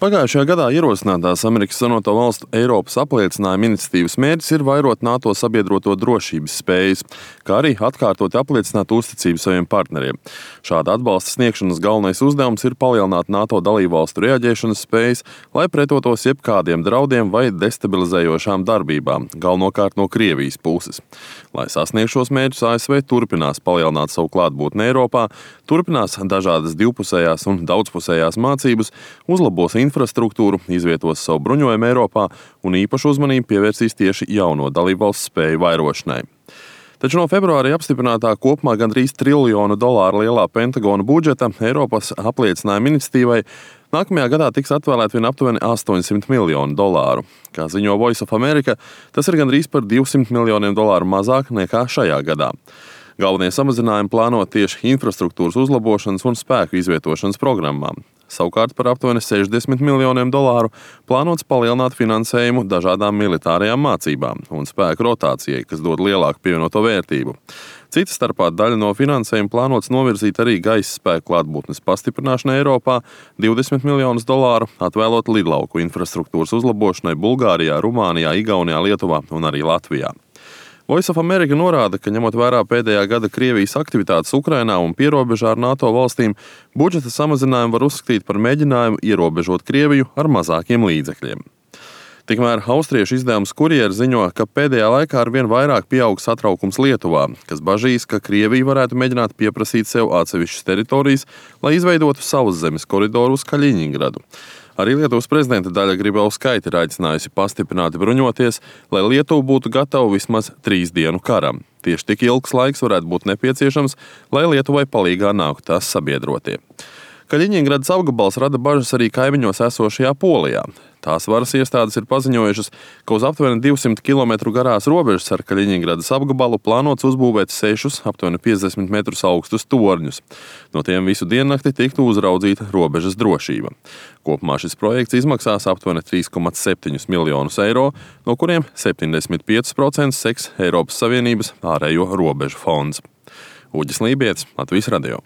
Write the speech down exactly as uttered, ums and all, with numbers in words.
Pagājušajā gadā ierosinātās Amerikas Savienoto Valstu Eiropas apliecinājuma iniciatīvas mērķis ir vairot NATO sabiedroto drošības spējas, kā arī atkārtot apliecināt uzticību saviem partneriem. Šāda atbalsta sniegšanas galvenais uzdevums ir palielināt NATO dalībvalstu reaģēšanas spējas, lai pretotos jebkādiem draudiem vai destabilizējošām darbībām, galvenokārt no Krievijas puses. Lai sasniegtu šos mērķus, A S V turpinās palielināt savu klātbūtni Eiropā, turpinās dažādas divpusējās un daudzpusējās mācības, uzlabos infrastruktūru, izvietos savu bruņojumu Eiropā un īpašu uzmanību pievērsīs tieši jauno dalībvalstu spēju vairošanai. Taču no februāra apstiprinātā kopumā gandrīz triljonu dolāru lielā Pentagona budžeta Eiropas apliecinājuma iniciatīvai nākamajā gadā tiks atvēlēt vien aptuveni astoņsimt miljonu dolāru. Kā ziņo Voice of America, tas ir gandrīz par divsimt miljoniem dolāru mazāk nekā šajā gadā. Galvenie samazinājumi plānot tieši infrastruktūras uzlabošanas un spēku izvietošanas programmām. Savukārt par aptuveni sešdesmit miljoniem dolāru plānots palielināt finansējumu dažādām militārajām mācībām un spēku rotācijai, kas dod lielāku pievienoto vērtību. Cita starpā daļa no finansējuma plānots novirzīt arī gaisa spēku klātbūtnes pastiprināšanai Eiropā, divdesmit miljonus dolāru atvēlot lidlauku infrastruktūras uzlabošanai Bulgārijā, Rumānijā, Igaunijā, Lietuvā un arī Latvijā. Voice of America norāda, ka ņemot vērā pēdējā gada Krievijas aktivitātes Ukrainā un pierobežā ar NATO valstīm, budžeta samazinājumu var uzskatīt par mēģinājumu ierobežot Krieviju ar mazākiem līdzekļiem. Tikmēr austriešu izdevums Kurjera ziņo, ka pēdējā laikā arvien vairāk pieaug satraukums Lietuvā, kas bažīs, ka Krievija varētu mēģināt pieprasīt sev atsevišķas teritorijas, lai izveidotu savus zemes koridoru uz Kaļiņingradu. Arī Lietuvas prezidenta Daļa Grybauskaite ir aicinājusi pastiprināti bruņoties, lai Lietuva būtu gatava vismaz trīs dienu karam. Tieši tik ilgs laiks varētu būt nepieciešams, lai Lietuvai palīgā nāktu tās sabiedrotie. Kaļiņingradas apgabals rada bažas arī kaimiņos esošajā Polijā. Tās varas iestādes ir paziņojušas, ka uz aptuveni divsimt kilometru garās robežas ar Kaļiņingradas apgabalu plānots uzbūvēt sešus aptuveni piecdesmit metrus augstus torņus. No tiem visu diennakti tiktu uzraudzīta robežas drošība. Kopumā šis projekts izmaksās aptuveni trīs komats septiņus miljonus eiro, no kuriem septiņdesmit pieci procenti seks Eiropas Savienības ārējo robežu fonds. Uģis Lībietis, Latvijas radio.